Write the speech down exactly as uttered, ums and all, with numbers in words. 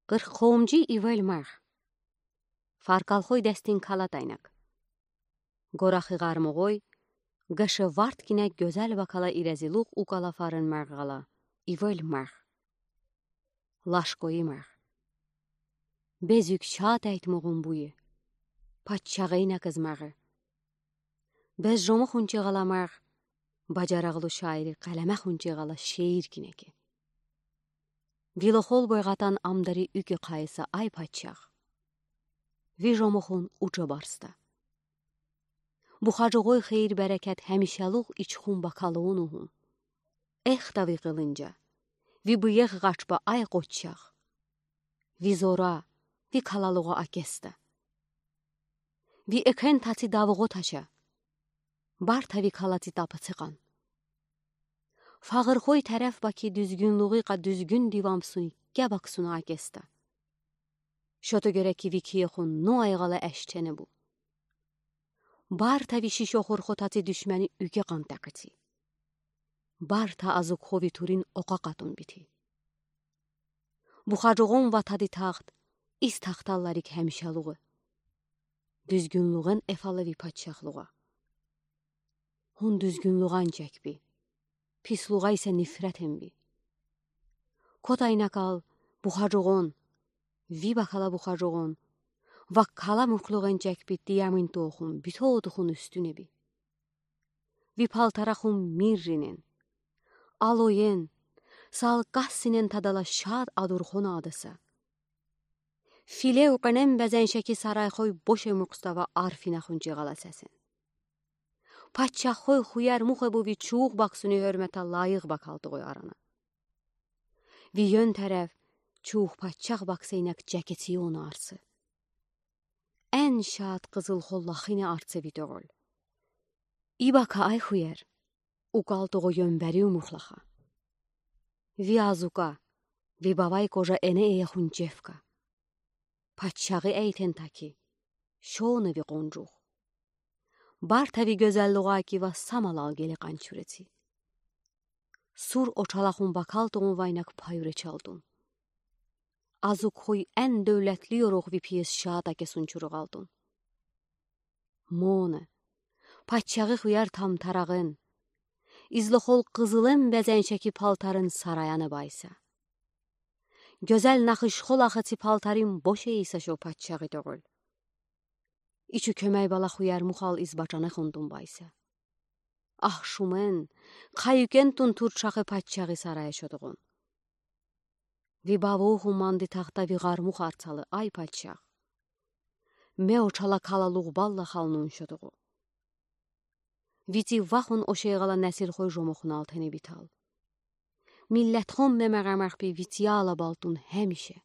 Къырх къовумжи ивел марх. Фаркалхой дестин калад айнак. Горахы гъармугой, геше варт гинэ гёзел бакала ирезилух укала фарин марх гала, ивел марх. Лашкойи марх. Безюк шат эйтмугун буйы. Патчагъы инакыз марх. Без жому хунче гала марх, бажарагълу шаири къелеме хунче гала шеир гинэ ке. Вилохол бойгъатан амдари уьке къайыса ай патчах. Ви жому хун уча барста. Буха жогъой хейир-берекет хемишелух ичхун бакалыуну хун. Эх та ви къылынжа, ви быех гъачба ай къоччах. Ви зора, ви калалугъа акеста. Ви экен таци давугъо таша. Барта ви калаци тапаци къан. Фагъырхой тереф баки дуьзгюнлугъикъа дуьзгюн дивамсун ке баксуна акеста. Шото гереки ви кие хун но айгъала эштене бу. Барта ви шишохур хотаци дуьшмени уьке къан такъыци. Барта азук хови турин окъа къатун бити. Буха жогъон ватади тахт, из тахталларик хемишелугъы. Дуьзгюнлугъен эфала ви патчахлугъа. Хун дуьзгюнлугъан чекби. Пислугъа исе нифретен би. Кот айнакал, буха жогъон, ви бакала буха жогъон, ваккала мурклугъен чекби тиямин тохун, битоотухун уьстюне би. Ви палтара хун мирринен, алоен, салкъассинен тадала шат адурхон адаса. Филе укъенен безеншеки сарайхой боше мукъстава арфина хунче гъала сесен. Патчаххой хуяр мух эбу ви чуух баксуни гьёрмета лайых бакалтугъой арана. Ви ён тереф чуух патчах бакса инак чекеци ёна арсы. Эн шат къызыл хол лахине арсы ви тёгъол. И бака ай хуяр, укалтугъо ёнбери умухлаха. Ви азука, ви бавай кожа эне эяхун чевка. Патчагъы эйтен таки, шону ви къонжух. Барта ви гёзеллугъа кива самалал геле къанчуреци. Сур очалахун бакалтугъун вайнак паюре чалтун. Азук хуй эн дёвлетли ёрух ви пиес шат акесун чуругъалтун. Моне, патчагъы хуяр тамтарагъын, излохол къызылын безеншеки палтарын сараяны байса. Гёзел нахыш хол ахыци палтарин боше иса шо патчагъы тёгъол. Ичи кёмей бала хуяр мухал из бачаны хундун байса. Ах шумен, къаюкен тун турчахы патчагъы сарая шодугъун. Ви баву хуманды тахта ви гъарму харцалы ай патчах. Ме очала калалугъ балла халнун шодугъу. Вити вахун ошейгъала несилхой жомохун алтени битал. Миллетхон мемегъа махпи витияла балтун хемише.